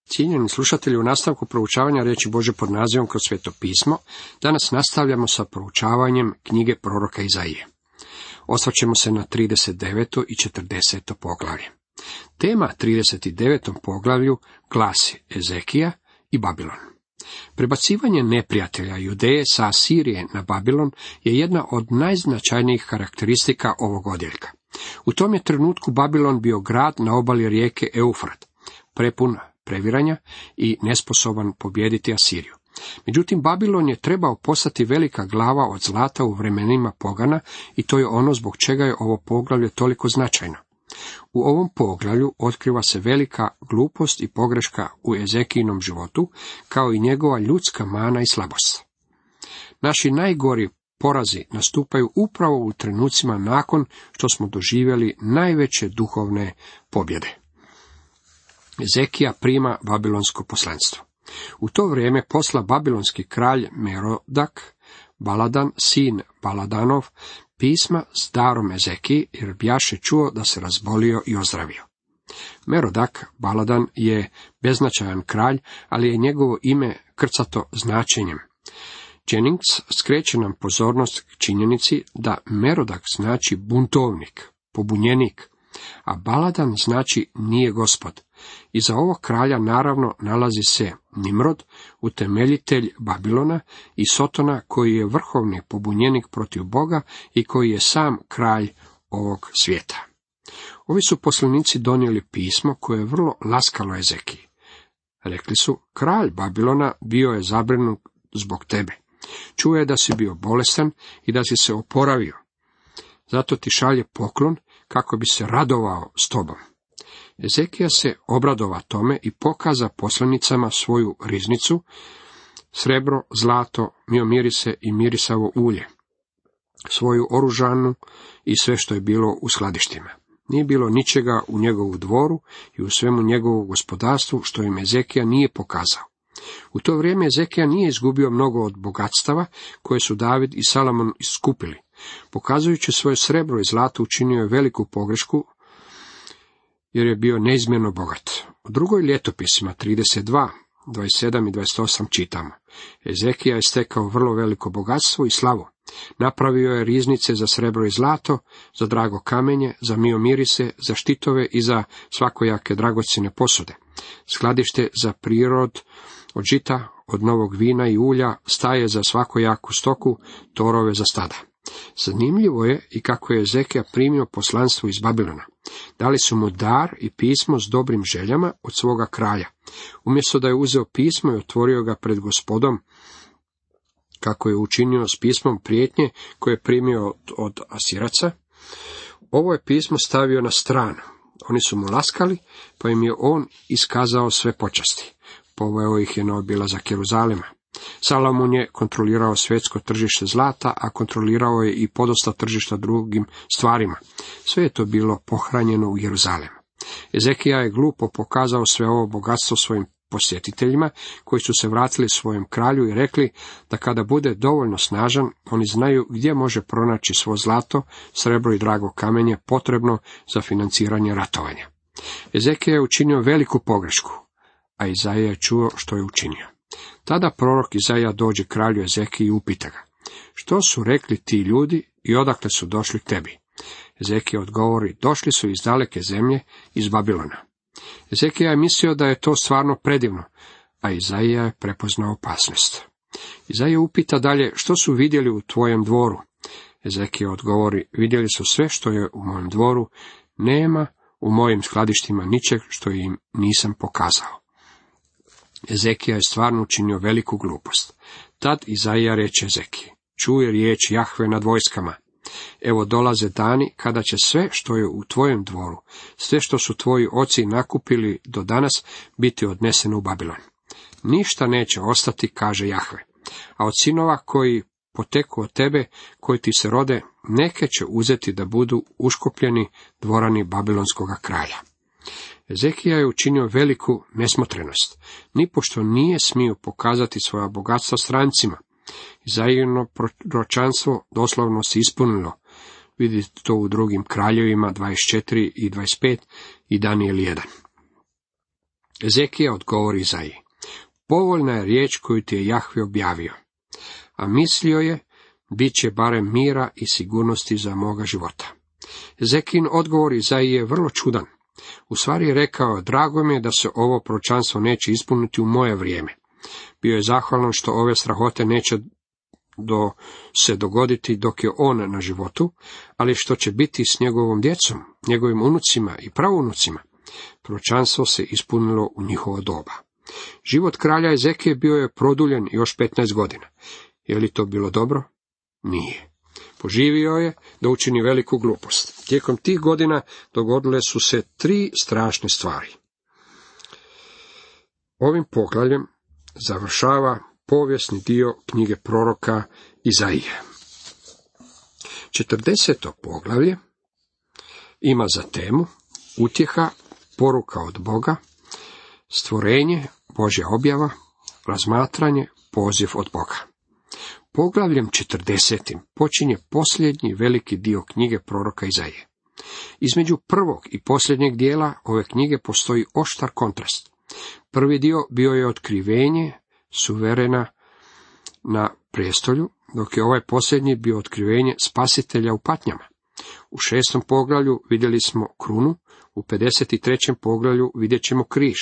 Cijenjeni slušatelji, u nastavku proučavanja riječi Božje pod nazivom Kroz Sveto pismo, danas nastavljamo sa proučavanjem knjige proroka Izaije. Osvrćemo se na 39. i 40. poglavlje. Tema 39. poglavlju glasi Ezekija i Babilon. Prebacivanje neprijatelja Judeje sa Asirije na Babilon je jedna od najznačajnijih karakteristika ovog odjeljka. U tom je trenutku Babilon bio grad na obali rijeke Eufrat, prepun previranja i nesposoban pobijediti Asiriju. Međutim, Babilon je trebao postati velika glava od zlata u vremenima pogana i to je ono zbog čega je ovo poglavlje toliko značajno. U ovom poglavlju otkriva se velika glupost i pogreška u Ezekijinom životu, kao i njegova ljudska mana i slabost. Naši najgori porazi nastupaju upravo u trenucima nakon što smo doživjeli najveće duhovne pobjede. Ezekija prima babilonsko poslanstvo. U to vrijeme posla babilonski kralj Merodak, Baladan, sin Baladanov, pisma s darom Ezekiji, jer bjaše čuo da se razbolio i ozdravio. Merodak, Baladan, je beznačajan kralj, ali je njegovo ime krcato značenjem. Jennings skreće nam pozornost k činjenici da Merodak znači buntovnik, pobunjenik, a Baladan znači nije gospod. Iza ovog kralja naravno nalazi se Nimrod, utemeljitelj Babilona, i Sotona, koji je vrhovni pobunjenik protiv Boga i koji je sam kralj ovog svijeta. Ovi su poslanici donijeli pismo koje je vrlo laskalo Ezekiji. Rekli su, kralj Babilona bio je zabrinut zbog tebe. Čuo je da si bio bolestan i da si se oporavio. Zato ti šalje poklon kako bi se radovao s tobom. Ezekija se obradova tome i pokaza poslanicama svoju riznicu, srebro, zlato, miomirise i mirisavo ulje, svoju oružanu i sve što je bilo u skladištima. Nije bilo ničega u njegovu dvoru i u svemu njegovu gospodarstvu što im Ezekija nije pokazao. U to vrijeme Ezekija nije izgubio mnogo od bogatstava koje su David i Salomon iskupili. Pokazujući svoje srebro i zlato učinio je veliku pogrešku, jer je bio neizmjerno bogat. U drugoj ljetopisima 32, 27 i 28 čitamo. Ezekija je stekao vrlo veliko bogatstvo i slavu. Napravio je riznice za srebro i zlato, za drago kamenje, za miomirise, za štitove i za svakojake dragocjene posude. Skladište za prirod od žita, od novog vina i ulja, staje za svakojaku stoku, torove za stada. Zanimljivo je i kako je Ezekija primio poslanstvo iz Babilona. Dali su mu dar i pismo s dobrim željama od svoga kralja. Umjesto da je uzeo pismo i otvorio ga pred Gospodom, kako je učinio s pismom prijetnje koje je primio od Asiraca, ovo je pismo stavio na stranu. Oni su mu laskali, pa im je on iskazao sve počasti. Poveo ih je na obilazak Jeruzalema. Salomon je kontrolirao svjetsko tržište zlata, a kontrolirao je i podosta tržišta drugim stvarima. Sve je to bilo pohranjeno u Jeruzalemu. Ezekija je glupo pokazao sve ovo bogatstvo svojim posjetiteljima, koji su se vratili svojem kralju i rekli da kada bude dovoljno snažan, oni znaju gdje može pronaći svo zlato, srebro i drago kamenje potrebno za financiranje ratovanja. Ezekija je učinio veliku pogrešku, a Izaija je čuo što je učinio. Tada prorok Izaija dođe kralju Ezekiji i upita ga, što su rekli ti ljudi i odakle su došli k tebi? Ezekija odgovori, došli su iz daleke zemlje, iz Babilona. Ezekija je mislio da je to stvarno predivno, a Izaija je prepoznao opasnost. Izaija upita dalje, što su vidjeli u tvojem dvoru? Ezekija odgovori, vidjeli su sve što je u mojem dvoru, nema u mojim skladištima ničeg što im nisam pokazao. Ezekija je stvarno učinio veliku glupost. Tad Izaija reče Ezekiji, čuje riječ Jahve nad vojskama. Evo dolaze dani kada će sve što je u tvojem dvoru, sve što su tvoji oci nakupili do danas, biti odneseno u Babilon. Ništa neće ostati, kaže Jahve, a od sinova koji poteku od tebe, koji ti se rode, neke će uzeti da budu uškopljeni dvorani babilonskoga kralja. Ezekija je učinio veliku nesmotrenost. Nipošto nije smio pokazati svoja bogatstva strancima. Izaijino proročanstvo doslovno se ispunilo. Vidite to u drugim kraljevima 24 i 25 i Danijel 1. Ezekija odgovori Izaiji: povoljna je riječ koju ti je Jahve objavio, a mislio je, bit će barem mira i sigurnosti za moga života. Ezekijin odgovor Izaiji je vrlo čudan. U stvari je rekao: drago mi je da se ovo proročanstvo neće ispuniti u moje vrijeme. Bio je zahvalan što ove strahote neće se dogoditi dok je on na životu, ali što će biti s njegovom djecom, njegovim unucima i pravounucima. Proročanstvo se ispunilo u njihovo doba. Život kralja Ezekije bio je produljen još 15 godina. Je li to bilo dobro? Nije. Poživio je da učini veliku glupost. Tijekom tih godina dogodile su se 3 strašne stvari. Ovim poglavljem završava povijesni dio knjige proroka Izaije. 40. poglavlje ima za temu utjeha, poruka od Boga, stvorenje, Božja objava, razmatranje, poziv od Boga. Poglavljem 40. počinje posljednji veliki dio knjige proroka Izaije. Između prvog i posljednjeg dijela ove knjige postoji oštar kontrast. Prvi dio bio je otkrivenje suverena na prijestolju, dok je ovaj posljednji bio otkrivenje spasitelja u patnjama. U 6. poglavlju vidjeli smo krunu, u 53. poglavlju vidjet ćemo križ.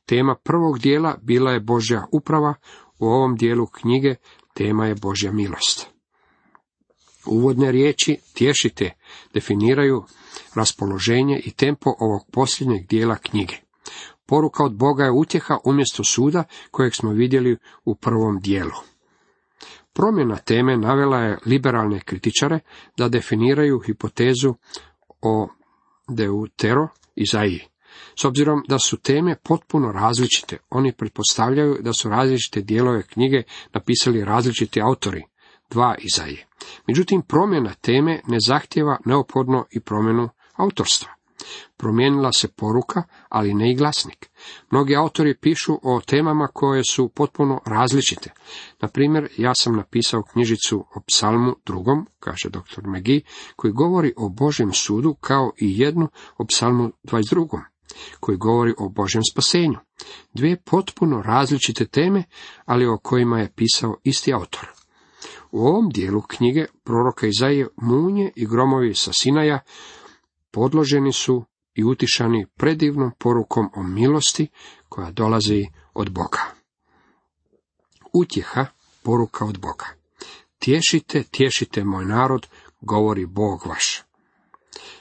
Tema prvog dijela bila je Božja uprava, u ovom dijelu knjige tema je Božja milost. Uvodne riječi tješite definiraju raspoloženje i tempo ovog posljednjeg dijela knjige. Poruka od Boga je utjeha umjesto suda kojeg smo vidjeli u prvom dijelu. Promjena teme navela je liberalne kritičare da definiraju hipotezu o deutero Izaiji. S obzirom da su teme potpuno različite, oni pretpostavljaju da su različite dijelove knjige napisali različiti autori, 2 Izaije. Međutim, promjena teme ne zahtijeva neophodno i promjenu autorstva. Promijenila se poruka, ali ne i glasnik. Mnogi autori pišu o temama koje su potpuno različite. Na primjer, ja sam napisao knjižicu o psalmu 2, kaže dr. McGee, koji govori o Božjem sudu, kao i jednu o psalmu 22, koji govori o Božjem spasenju. 2 potpuno različite teme, ali o kojima je pisao isti autor. U ovom dijelu knjige proroka Izaije munje i gromovi sa Sinaja podloženi su i utišani predivnom porukom o milosti koja dolazi od Boga. Utjeha, poruka od Boga. Tješite, tješite moj narod, govori Bog vaš.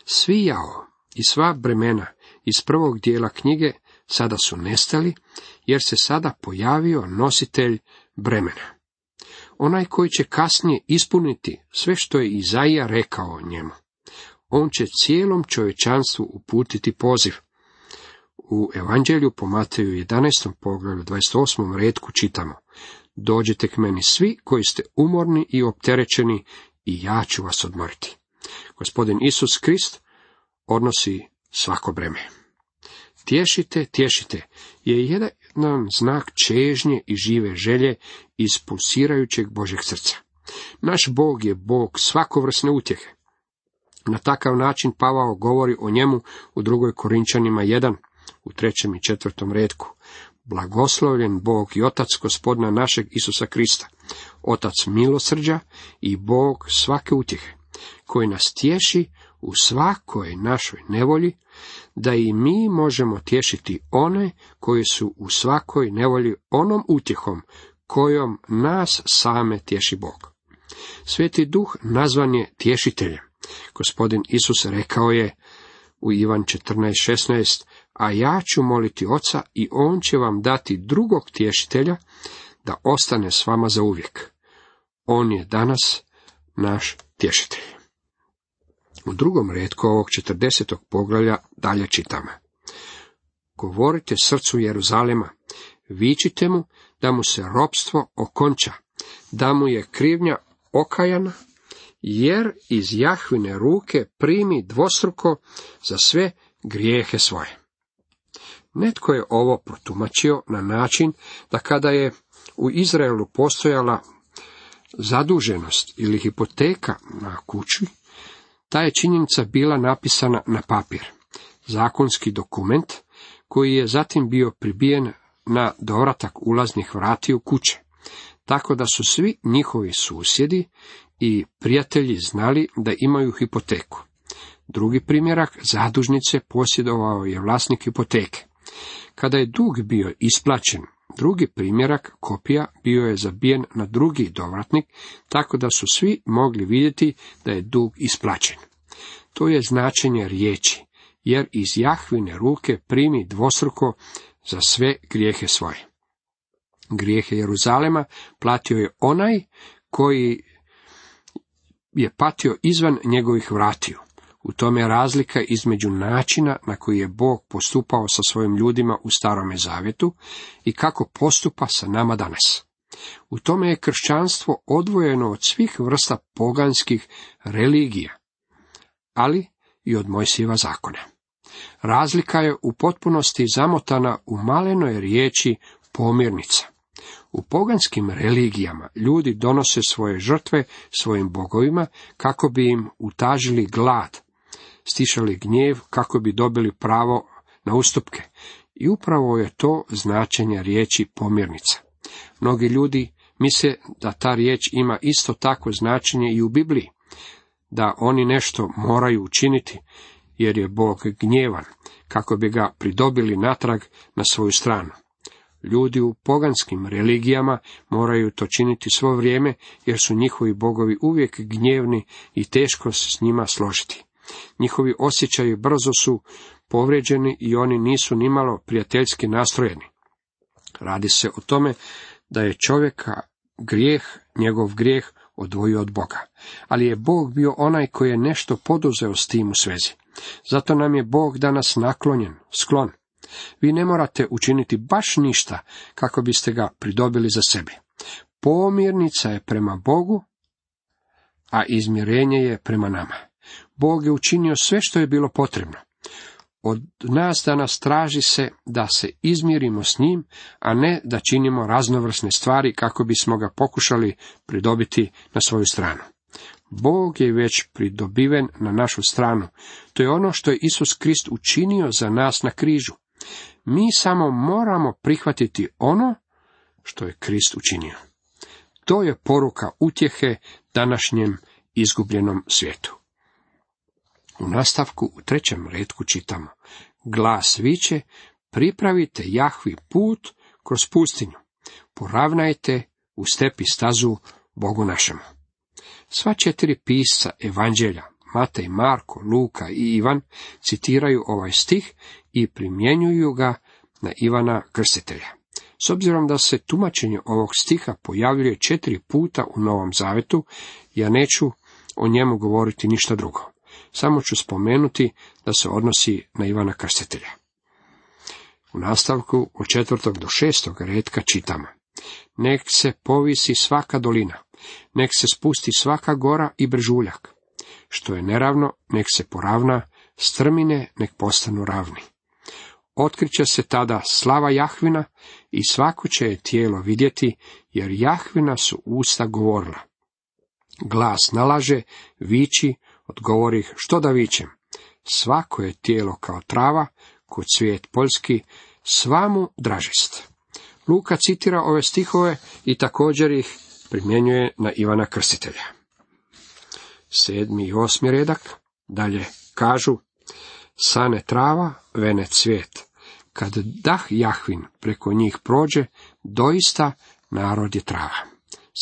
Svi jao i sva bremena iz prvog dijela knjige sada su nestali, jer se sada pojavio nositelj bremena. Onaj koji će kasnije ispuniti sve što je Izaija rekao o njemu. On će cijelom čovječanstvu uputiti poziv. U Evanđelju po Mateju 11. poglavlju 28. retku čitamo: dođite k meni svi koji ste umorni i opterećeni, i ja ću vas odmoriti. Gospodin Isus Krist odnosi svako breme. Tješite, tješite je jedan znak čežnje i žive želje iz pulsirajućeg Božjeg srca. Naš Bog je Bog svakovrsne utjehe. Na takav način Pavao govori o njemu u 2. Korinčanima 1, u 3. i 4. retku. Blagoslovljen Bog i Otac Gospodina našeg Isusa Krista, Otac milosrđa i Bog svake utjehe, koji nas tješi u svakoj našoj nevolji, da i mi možemo tješiti one koji su u svakoj nevolji onom utjehom kojom nas same tješi Bog. Sveti Duh nazvan je tješiteljem. Gospodin Isus rekao je u Ivan 14:16, a ja ću moliti Oca i on će vam dati drugog tješitelja da ostane s vama zauvijek. On je danas naš tješitelj. U 2. retku ovog 40. poglavlja dalje čitamo: govorite srcu Jeruzalema, vičite mu da mu se ropstvo okonča, da mu je krivnja okajana, jer iz Jahvine ruke primi dvostruko za sve grijehe svoje. Netko je ovo protumačio na način da kada je u Izraelu postojala zaduženost ili hipoteka na kući, ta je činjenica bila napisana na papir. Zakonski dokument koji je zatim bio pribijen na dovratak ulaznih vratiju kuće, tako da su svi njihovi susjedi i prijatelji znali da imaju hipoteku. Drugi primjerak zadužnice posjedovao je vlasnik hipoteke. Kada je dug bio isplaćen, drugi primjerak kopija bio je zabijen na drugi dovratnik, tako da su svi mogli vidjeti da je dug isplaćen. To je značenje riječi, jer iz Jahvine ruke primi dvostruko za sve grijehe svoje. Grijehe Jeruzalema platio je onaj koji je patio izvan njegovih vratiju. U tome je razlika između načina na koji je Bog postupao sa svojim ljudima u Starome zavjetu i kako postupa sa nama danas. U tome je kršćanstvo odvojeno od svih vrsta poganskih religija, ali i od Mojsijeva zakona. Razlika je u potpunosti zamotana u malenoj riječi pomirnica. U poganskim religijama ljudi donose svoje žrtve svojim bogovima kako bi im utažili glad, stišali gnjev kako bi dobili pravo na ustupke. I upravo je to značenje riječi pomirnica. Mnogi ljudi misle da ta riječ ima isto takvo značenje i u Bibliji, da oni nešto moraju učiniti, jer je Bog gnjevan, kako bi ga pridobili natrag na svoju stranu. Ljudi u poganskim religijama moraju to činiti svo vrijeme, jer su njihovi bogovi uvijek gnjevni i teško se s njima složiti. Njihovi osjećaji brzo su povrijeđeni i oni nisu nimalo prijateljski nastrojeni. Radi se o tome da je čovjeka njegov grijeh odvojio od Boga. Ali je Bog bio onaj koji je nešto poduzeo s tim u svezi. Zato nam je Bog danas naklonjen, sklon. Vi ne morate učiniti baš ništa kako biste ga pridobili za sebe. Pomirnica je prema Bogu, a izmirenje je prema nama. Bog je učinio sve što je bilo potrebno. Od nas danas traži se da se izmirimo s njim, a ne da činimo raznovrsne stvari kako bismo ga pokušali pridobiti na svoju stranu. Bog je već pridobiven na našu stranu. To je ono što je Isus Krist učinio za nas na križu. Mi samo moramo prihvatiti ono što je Krist učinio. To je poruka utjehe današnjem izgubljenom svijetu. U nastavku u 3. retku čitamo: Glas viče, pripravite Jahvi put kroz pustinju, poravnajte u stepi stazu Bogu našemu. Sva 4 pisca evanđelja, Matej, Marko, Luka i Ivan, citiraju ovaj stih i primjenjuju ga na Ivana Krstitelja. S obzirom da se tumačenje ovog stiha pojavljuje 4 puta u Novom Zavetu, ja neću o njemu govoriti ništa drugo. Samo ću spomenuti da se odnosi na Ivana Krstitelja. U nastavku od 4. do 6. retka čitamo: Nek se povisi svaka dolina, nek se spusti svaka gora i brežuljak. Što je neravno, nek se poravna, strmine nek postanu ravni. Otkriće se tada slava Jahvina i svako će je tijelo vidjeti, jer Jahvina su usta govorila. Glas nalaže, viči, odgovorih, što da vičem? Svako je tijelo kao trava, ko cvijet poljski, sva mu dražest. Luka citira ove stihove i također ih primjenjuje na Ivana Krstitelja. 7. i 8. redak dalje kažu: Sane trava, vene cvijet. Kad dah Jahvin preko njih prođe, doista narod je trava.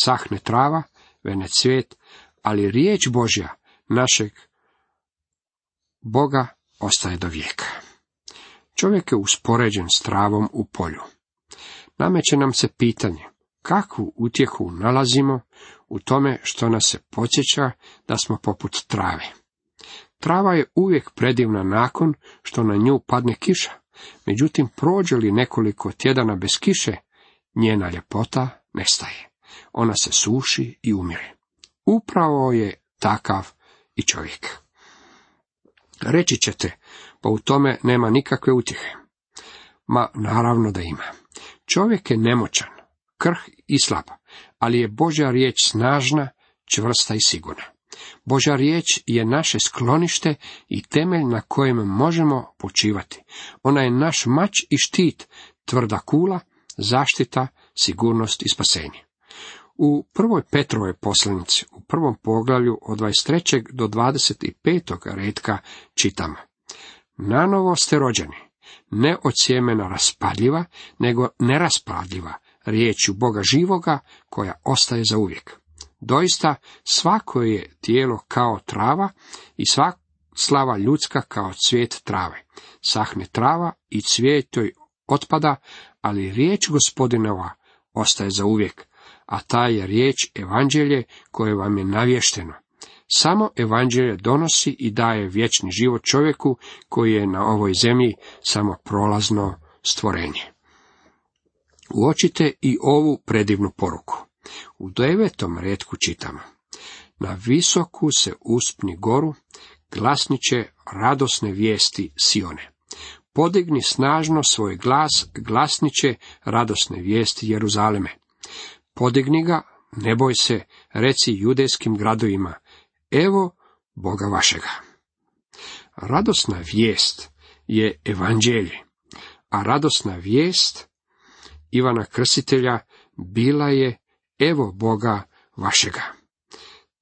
Sahne trava, vene cvijet, ali riječ Božja našeg Boga ostaje do vijeka. Čovjek je uspoređen s travom u polju. Nameće nam se pitanje, kakvu utjehu nalazimo u tome što nas se podsjeća da smo poput trave. Trava je uvijek predivna nakon što na nju padne kiša, međutim prođe li nekoliko tjedana bez kiše, njena ljepota nestaje. Ona se suši i umire. Upravo je takav i čovjek. Reći ćete, pa u tome nema nikakve utjehe. Ma naravno da ima. Čovjek je nemoćan, krh i slab, ali je Božja riječ snažna, čvrsta i sigurna. Božja riječ je naše sklonište i temelj na kojem možemo počivati. Ona je naš mač i štit, tvrda kula, zaštita, sigurnost i spasenje. U 1. Petrovoj poslanici, u 1. poglavlju od 23. do 25. retka čitamo: Nanovo ste rođeni, ne od sjemena raspadljiva, nego neraspadljiva, riječju Boga živoga, koja ostaje za uvijek. Doista, svako je tijelo kao trava i sva slava ljudska kao cvijet trave. Sahne trava i cvijet joj otpada, ali riječ Gospodinova ostaje za uvijek, a ta je riječ evanđelje koje vam je navješteno. Samo evanđelje donosi i daje vječni život čovjeku koji je na ovoj zemlji samo prolazno stvorenje. Uočite i ovu predivnu poruku. U 9. retku čitamo: Na visoku se uspni goru, glasniće radosne vijesti Sione. Podigni snažno svoj glas, glasniće radosne vijesti Jeruzaleme. Podigni ga, ne boj se, reci judejskim gradovima: Evo Boga vašega. Radosna vijest je evanđelje, a radosna vijest Ivana Krstitelja bila je: Evo Boga vašega.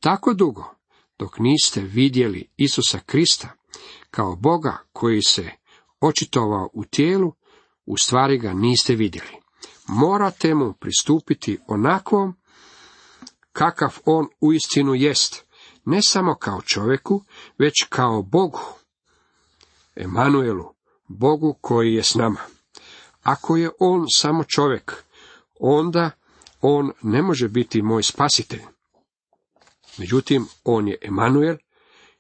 Tako dugo, dok niste vidjeli Isusa Krista kao Boga koji se očitovao u tijelu, u stvari ga niste vidjeli. Morate mu pristupiti onakvom kakav on uistinu jest, ne samo kao čovjeku, već kao Bogu, Emanuelu, Bogu koji je s nama. Ako je on samo čovjek, onda on ne može biti moj spasitelj. Međutim, on je Emanuel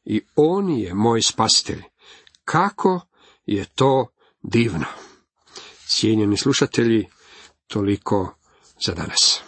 i on je moj spasitelj. Kako je to divno! Cijenjeni slušatelji, toliko za danas.